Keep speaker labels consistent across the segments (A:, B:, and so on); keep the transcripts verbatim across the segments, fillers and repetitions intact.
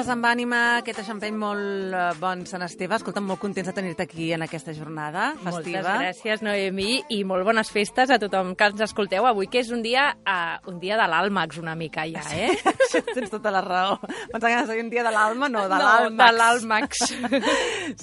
A: Coses amb ànima, aquest eixampany molt eh, bon Sant Esteve. Escolta, molt contents de tenir-te aquí en aquesta jornada festiva.
B: Moltes gràcies, Noemí, i molt bones festes a tothom que ens escolteu avui, que és un dia uh, un dia de l'àlmax una mica ja, eh?
A: Sí, tens tota la raó. Pensava que anaves a dir un dia de l'alma, no, de
B: no,
A: l'àlmax.
B: de l'àlmax.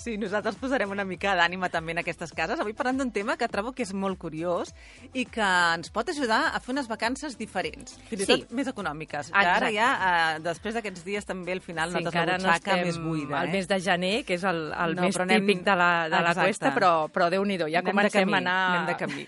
A: Sí, nosaltres posarem una mica d'ànima també en aquestes cases. Avui parlant d'un tema que trobo que és molt curiós i que ens pot ajudar a fer unes vacances diferents, fins i
B: Sí.
A: tot més econòmiques. Que
B: Exacte.
A: ara ja, eh, després d'aquests dies també al final
B: Sí,
A: notes
B: encara
A: la
B: no
A: butxaca
B: estem
A: més buida.
B: al
A: Eh?
B: mes de gener, que és el, el
A: No,
B: mes
A: però anem-
B: típic de la, de la
A: Exacte.
B: cuesta, però, però Déu-n'hi-do, ja
A: Anem de
B: comencem
A: camí,
B: a anar...
A: anem de camí.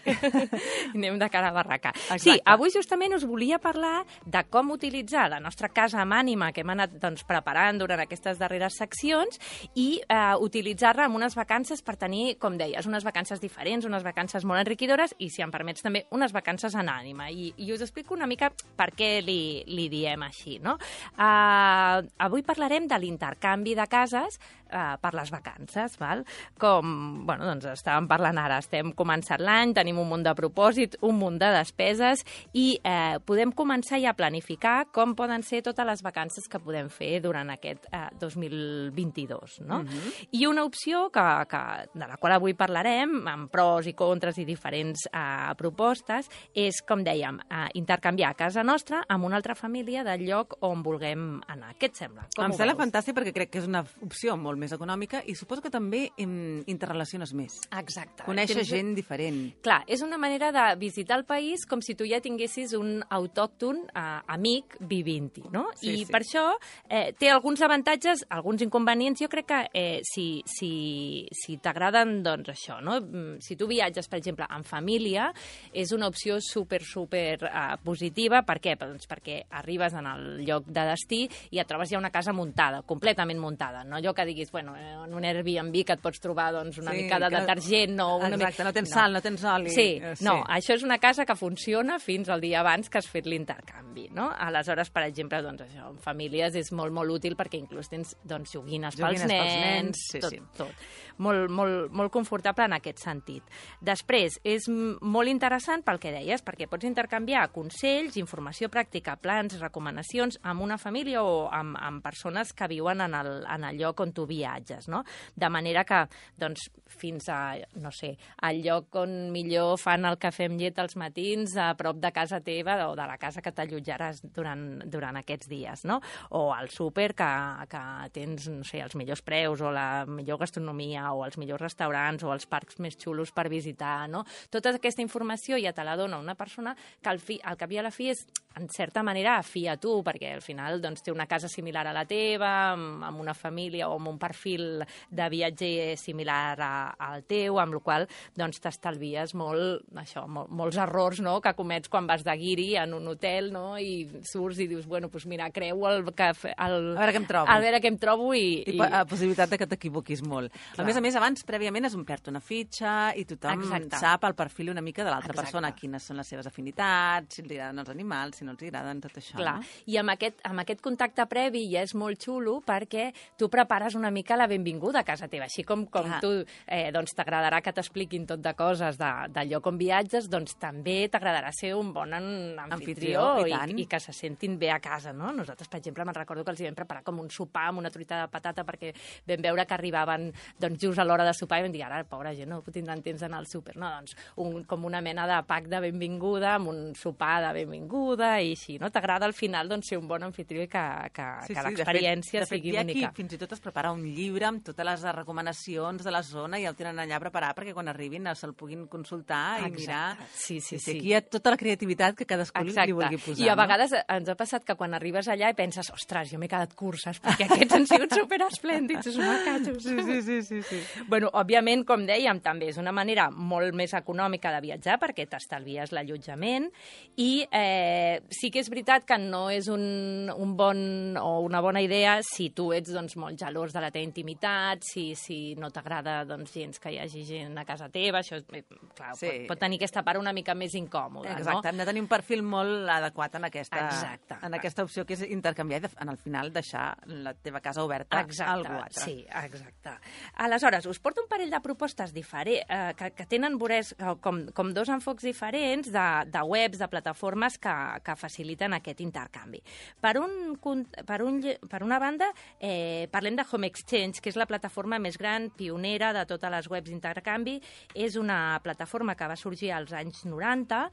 B: anem de cara a barraca.
A: Exacte.
B: Sí, avui justament us volia parlar de com utilitzar la nostra casa amb ànima que hem anat doncs, preparant durant aquestes darreres seccions i eh, utilitzar-la en unes vacances per tenir, com deies, unes vacances diferents, unes vacances molt enriquidores i, si em permets, també unes vacances en ànima. I, i us explico una mica per què li, li diem així, no? Uh, avui parlarem de l'intercanvi de cases uh, per les vacances, val? Com, bueno, doncs estàvem parlant ara, estem començant l'any, tenim un munt de propòsits, un munt de despeses i eh, podem començar ja a planificar com poden ser totes les vacances que podem fer durant aquest eh, dos mil vint-i-dos, no?
A: Mhm.
B: I una opció que, que, de la qual avui parlarem, amb pros i contres i diferents eh, propostes, és, com dèiem, eh, intercanviar casa nostra amb una altra família del lloc on vulguem anar. Què et sembla? Com
A: Em
B: ho
A: sembla
B: veus?
A: fantàstic perquè crec que és una opció molt més econòmica i suposo que també em, interrelaciones més.
B: Exacte.
A: Conèixer
B: Tens-
A: gent diferent.
B: Clar, és una manera de visitar el país com si tu ja tinguessis un autòcton eh, amic vivint-hi, no?
A: Sí,
B: I
A: sí.
B: per això eh, té alguns avantatges, alguns inconvenients. Jo crec que eh, si, si, si t'agraden, doncs això, no? Mm, Si tu viatges, per exemple, en família, és una opció super, super eh, positiva. Per què? Doncs perquè arribes en el lloc de destí i et trobes ja una casa muntada, completament muntada, no allò que diguis, bueno, eh, en un Airbnb que et pots trobar doncs, una
A: Sí,
B: mica de
A: que no-
B: detergent o una
A: Exacte,
B: mica...
A: no tens sal, no tens oli.
B: Sí,
A: Eh,
B: no, això és una casa que funciona fins al dia abans que has fet l'intercanvi, no? Aleshores, per exemple, doncs això, en famílies és molt, molt útil perquè inclús tens doncs, joguines,
A: Joguines
B: pels
A: pels
B: nens,
A: nens, sí,
B: tot,
A: sí.
B: tot. Molt, molt, molt confortable en aquest sentit. Després, és m- molt interessant pel que deies, perquè pots intercanviar consells, informació pràctica, plans, recomanacions amb una família o amb, amb persones que viuen en el, en el lloc on tu viatges, no? De manera que, doncs, fins a, no sé, al lloc on millor fan el cafè amb llet als matins a prop de casa teva o de la casa que t'allotjaràs durant, durant aquests dies, no? O al súper que, que tens, no sé, els millors preus o la millor gastronomia o els millors restaurants o els parcs més xulos per visitar, no? Tota aquesta informació ja te la dona una persona que al, fi, al cap i a la fi és, en certa manera, afí a tu, perquè al final doncs, té una casa similar a la teva, amb, amb una família o amb un perfil de viatger similar a, al teu, amb la qual doncs, t'estalvies molt, això, mol, molts errors, no?, que comets quan vas de guiri en un hotel, no?, i surts i dius, bueno, doncs mira, creu el... cafè, el
A: A veure què em trobo.
B: A veure què em trobo i...
A: I la possibilitat de que t'equivoquis molt.
B: Clar.
A: A més a més, abans, prèviament, has omplert una fitxa i tothom
B: Exacte.
A: sap el perfil una mica de l'altra
B: Exacte.
A: persona, quines són les seves afinitats, si els agraden els animals, si no els agraden, tot això.
B: Clar,
A: No?
B: i amb aquest, amb aquest contacte previ ja és molt xulo perquè tu prepares una mica la benvinguda a casa teva. Així com, com
A: Clar.
B: tu eh, doncs t'agradarà que t'expliquin tot de coses de, del lloc on viatges, doncs també t'agradarà ser un bon an- anfitrió,
A: Anfitrió, i
B: i,
A: tant.
B: i, i que se sentin bé a casa, no? Nosaltres, per exemple, me'n recordo que els hi vam preparar com un sopar amb una truita de patata perquè vam veure que arribaven doncs, just a l'hora de sopar i vam dir, ara, pobra gent, no tindran temps d'anar al súper. No, doncs, un, com una mena de pack de benvinguda amb un sopar de benvinguda i així, no? T'agrada al final doncs, ser un bon anfitrió i que, que,
A: Sí,
B: que
A: sí,
B: l'experiència
A: de fet,
B: sigui
A: de fet,
B: única.
A: Aquí, fins i tot es prepara un llibre amb totes les recomanacions de la zona i el tenen allà preparat perquè quan arribin se'l puguin consultar i
B: Exacte.
A: mirar.
B: Sí, sí,
A: I
B: sí.
A: Aquí hi ha tota la creativitat que cadascú
B: Exacte.
A: li vulgui posar.
B: I a
A: no?
B: vegades ens ha passat que quan arribes allà i penses, ostres, jo m'he quedat curses, perquè aquests han sigut superesplèndids, és una catxos.
A: Sí, sí, sí, sí, sí.
B: Bueno, òbviament, com dèiem, també és una manera molt més econòmica de viatjar perquè t'estalvies l'allotjament i eh, sí que és veritat que no és un, un bon o una bona idea si tu ets doncs, molt gelós de la teva intimitat, si, si no t'agrada doncs, gens que hi hagi gent a casa teva, això és, eh, clar,
A: Sí.
B: pot, pot tenir aquesta part una mica més incòmoda,
A: Exacte, hem de tenir un perfil molt adequat en aquesta,
B: Exacte.
A: en aquesta opció que és intercanviar i de- en el final deixar la teva casa oberta
B: Exacte,
A: a algú altre.
B: sí, exacte. Aleshores, us porto un parell de propostes diferents, eh, que, que tenen veurés, com, com dos enfocs diferents de, de webs, de plataformes que, que que faciliten aquest intercanvi. Per, un, per, un, per una banda, eh, parlem de Home Exchange, que és la plataforma més gran, pionera de totes les webs d'intercanvi. És una plataforma que va sorgir als anys noranta.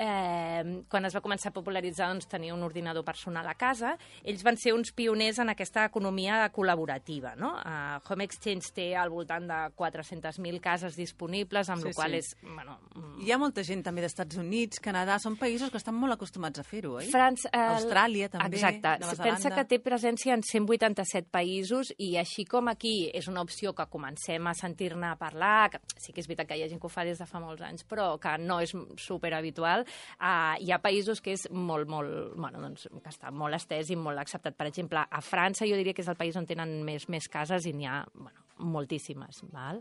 B: Eh, quan es va començar a popularitzar, doncs, tenia un ordinador personal a casa. Ells van ser uns pioners en aquesta economia col·laborativa, no? Uh, Home Exchange té al voltant de quatre-centes mil cases disponibles, amb
A: sí,
B: la qual
A: sí.
B: és... Bueno,
A: Hi ha molta gent també d'Estats Units, Canadà, són països que estan molt acostumats a fer-ho, oi?
B: França, eh,
A: Austràlia, també,
B: exacte.
A: Nova Zelanda...
B: Pensa que té presència en cent vuitanta-set països i així com aquí és una opció que comencem a sentir-ne a parlar, que sí que és veritat que hi ha gent que ho fa des de fa molts anys, però que no és superhabitual, eh, hi ha països que és molt, molt... Bueno, doncs, que està molt estès i molt acceptat. Per exemple, a França jo diria que és el país on tenen més, més cases i n'hi ha, bueno, moltíssimes. Val?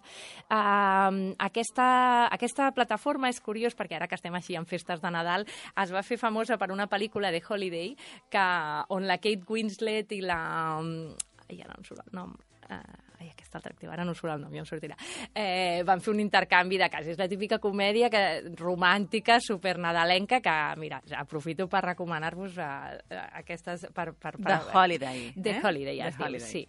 B: Uh, aquesta, aquesta plataforma és curiós perquè ara que estem així en festes de Nadal es va fer famosa per una pel·lícula de Holiday que, on la Kate Winslet i la... Ai, ara no em surt el nom... Uh, ai, aquesta atractiva, ara no surt el nom, ja em sortirà. Eh, van fer un intercanvi de cases. És la típica comèdia que, romàntica, supernadalenca, que, mira, aprofito per recomanar-vos uh, aquestes... Per, per, per,
A: The Holiday.
B: The
A: eh?
B: Holiday, ja
A: The
B: es diu,
A: Holiday.
B: sí.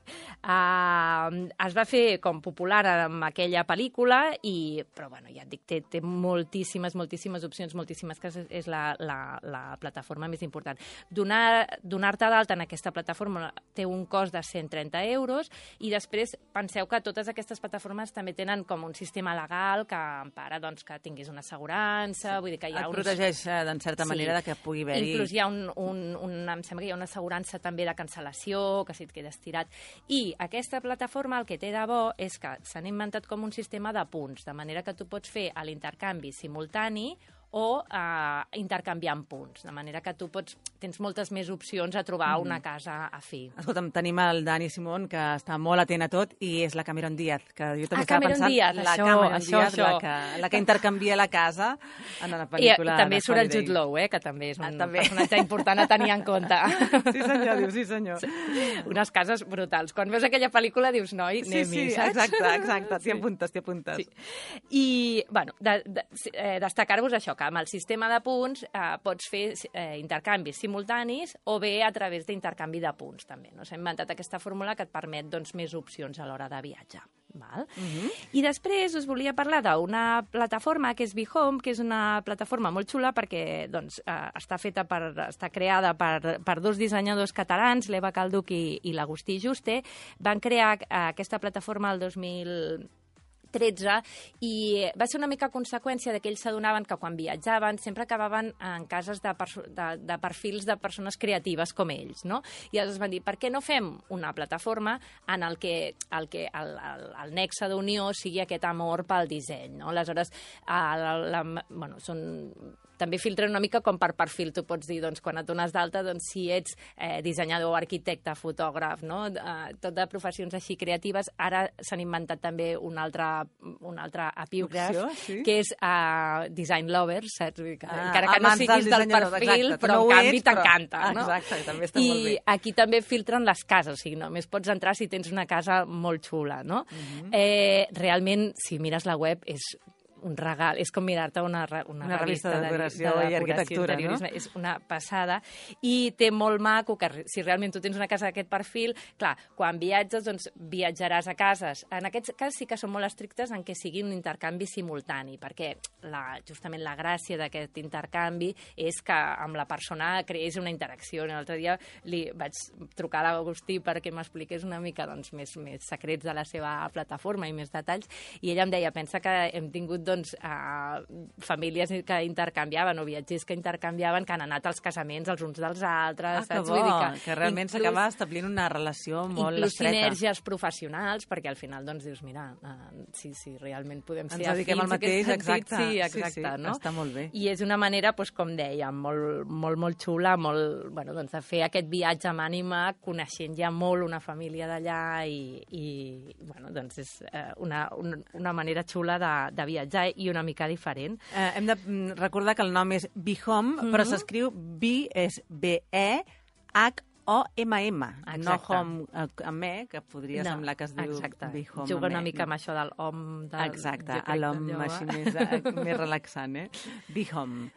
B: Uh, es va fer com popular amb aquella pel·lícula, i, però bueno, ja et dic, té, té moltíssimes, moltíssimes opcions, moltíssimes cases, és la, la, la plataforma més important. Donar, donar-te d'alta en aquesta plataforma té un cost de cent trenta euros, i després penseu que totes aquestes plataformes també tenen com un sistema legal que empara doncs, que tinguis una assegurança, sí. Vull dir que hi ha
A: Et
B: uns...
A: protegeix, en certa
B: sí.
A: manera, de que pugui haver-hi...
B: Inclús hi ha un, un, un... Em sembla que hi ha una assegurança també de cancel·lació, que si et quedes tirat. I aquesta plataforma el que té de bo és que s'han inventat com un sistema de punts, de manera que tu pots fer l'intercanvi simultani o uh, intercanviant punts, de manera que tu pots, tens moltes més opcions a trobar mm. una casa a fi.
A: Escolta'm, tenim el Dani Simón, que està molt atent a tot, i és la Cameron Díaz, que jo també
B: Ah,
A: estava
B: Cameron
A: pensant...
B: Díaz,
A: la
B: això,
A: Cameron
B: això,
A: Díaz,
B: això.
A: La, que, la que intercanvia la casa en la
B: I,
A: pel·lícula
B: i també
A: de
B: surt el
A: Holiday.
B: Jude Law, eh, que també és un
A: Ah, també.
B: personatge important a tenir en compte.
A: Sí, senyor, diu, sí, senyor.
B: Unes cases brutals. Quan veus aquella pel·lícula dius, noi,
A: Sí,
B: anem-hi,
A: sí,
B: saps?
A: exacte, exacte. T'hi apuntes, t'hi apuntes.
B: Sí. I, bueno, de, de, eh, destacar-vos això, que amb el sistema de punts eh, pots fer eh, intercanvis simultanis o bé a través d'intercanvi de punts, també. No? S'ha inventat aquesta fórmula que et permet doncs, més opcions a l'hora de viatjar. Val? Uh -huh. I després us volia parlar d'una plataforma que és BeHome, que és una plataforma molt xula perquè doncs, eh, està feta per, està creada per, per dos dissenyadors catalans, l'Eva Calduc i, i l'Agustí Juste. Van crear eh, aquesta plataforma el dos mil tretze, i va ser una mica conseqüència de que ells s'adonaven que quan viatjaven sempre acabaven en cases de, de, de perfils de persones creatives com ells, no? I llavors van dir, per què no fem una plataforma en el que el, que el, el, el nexe d'unió sigui aquest amor pel disseny, no? Aleshores, la, la, bueno, són... també filtren una mica com per perfil. Tu pots dir, doncs, quan et dones d'alta, doncs, si ets eh, dissenyador, arquitecte, fotògraf, no? Eh, tot de professions així creatives. Ara s'han inventat també un altre, un altre epígraf,
A: opció, sí?
B: que és uh, design lovers, saps? Que,
A: Ah,
B: encara que no siguis del, del perfil,
A: exacte,
B: però
A: no
B: en canvi
A: ets, però...
B: t'encanta. No?
A: Exacte, també està
B: I
A: molt bé.
B: aquí també filtren les cases, o sigui, només pots entrar si tens una casa molt xula, no? Uh-huh. eh, realment, si mires la web, és un regal, és com mirar-te una, una,
A: una revista, revista de decoració,
B: de, de
A: i arquitectura, no?
B: És una passada. I té molt maco que si realment tu tens una casa d'aquest perfil, clar, quan viatges, doncs viatjaràs a cases. En aquest cas sí que són molt estrictes en què sigui un intercanvi simultani, perquè la, justament la gràcia d'aquest intercanvi és que amb la persona creés una interacció. L'altre dia li vaig trucar a l'Agustí perquè m'expliqués una mica doncs, més, més secrets de la seva plataforma i més detalls, i ella em deia, pensa que hem tingut doncs, uh, famílies que intercanviaven o viatgers que intercanviaven, que han anat als casaments els uns dels altres.
A: Ah, que
B: saps?
A: bo,
B: Vull dir que,
A: que realment
B: inclús,
A: s'acaba establint una relació molt
B: inclús
A: estreta.
B: Inclús sinergies professionals, perquè al final doncs, dius, mira, uh, si, si realment podem ser
A: ens dediquem al mateix, exacte.
B: Sí, exacte,
A: sí, sí,
B: no?
A: Està molt bé.
B: I és una manera, doncs, com dèiem, molt, molt, molt xula, molt, bueno, doncs, de fer aquest viatge amb ànima, coneixent ja molt una família d'allà i, i bueno, doncs és uh, una, una, una manera xula de, de viatjar i una mica diferent.
A: Eh, hem de recordar que el nom és BeHome, mm-hmm. però s'escriu B, és B E H O M M,
B: Exacte.
A: no home amb E, que podria
B: no,
A: semblar que es diu
B: exacte.
A: BeHome.
B: Juga una
A: amb
B: mica amb això del hom... Del,
A: exacte, l'hom així més, més relaxant, eh? BeHome.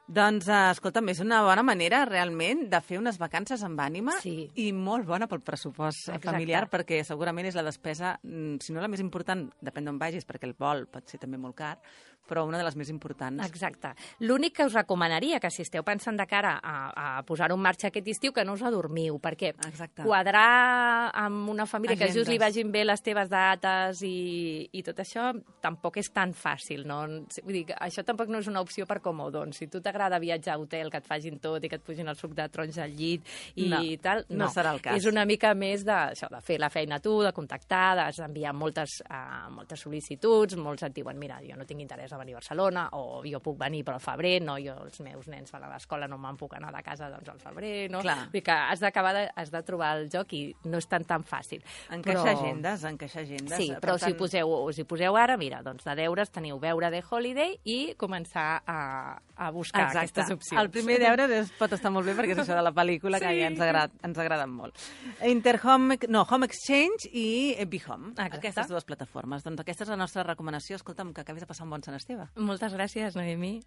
A: Doncs, uh, escolta'm, és una bona manera, realment, de fer unes vacances amb ànima
B: Sí.
A: i molt bona pel pressupost
B: Exacte.
A: familiar, perquè segurament és la despesa, mm, si no la més important, depèn d'on vagis, perquè el vol pot ser també molt car, però una de les més importants.
B: Exacte. L'únic que us recomanaria, que si esteu pensant de cara a, a posar-ho en marxa aquest estiu, que no us adormiu, perquè
A: Exacte.
B: quadrar amb una família que just li
A: Agendes.
B: vagin bé les teves dates i, i tot això tampoc és tan fàcil, no? Vull dir, que això tampoc no és una opció per comodon. Si tu t'agrada viatjar a hotel, que et facin tot i que et pugin el suc de taronja al llit i
A: No,
B: tal,
A: no serà el cas.
B: És una mica més de, això, de fer la feina tu, de contactar, d'enviar moltes, uh, moltes sol·licituds, molts et diuen, mira, jo no tinc interès a venir a Barcelona, o jo puc venir però al febrer, no, jo els meus nens van a l'escola, no me'n puc anar de casa doncs al febrer, no?
A: Clar.
B: Vull dir que has d'acabar de, has de trobar el joc i no és tan tan fàcil.
A: Encaixar
B: Però-
A: agendes, encaixar agendes.
B: Sí,
A: Per
B: però si
A: tant,
B: hi poseu, us hi poseu ara, mira, doncs de deures teniu veure The Holiday i començar a, a buscar
A: Exacte.
B: aquestes opcions.
A: El primer deure es pot estar molt bé perquè és això de la pel·lícula que
B: Sí.
A: ja ens, agrada, ens agraden molt. Interhome, no, Home Exchange i Be Home.
B: Exacte.
A: Aquestes dues plataformes. Doncs aquesta és la nostra recomanació. Escolta'm, que acabis de passar un bon Sant Esteve.
B: Moltes gràcies, Noemi.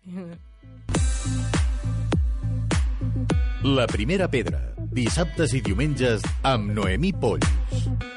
C: La primera pedra, dissabtes i diumenges amb Noemí Polls.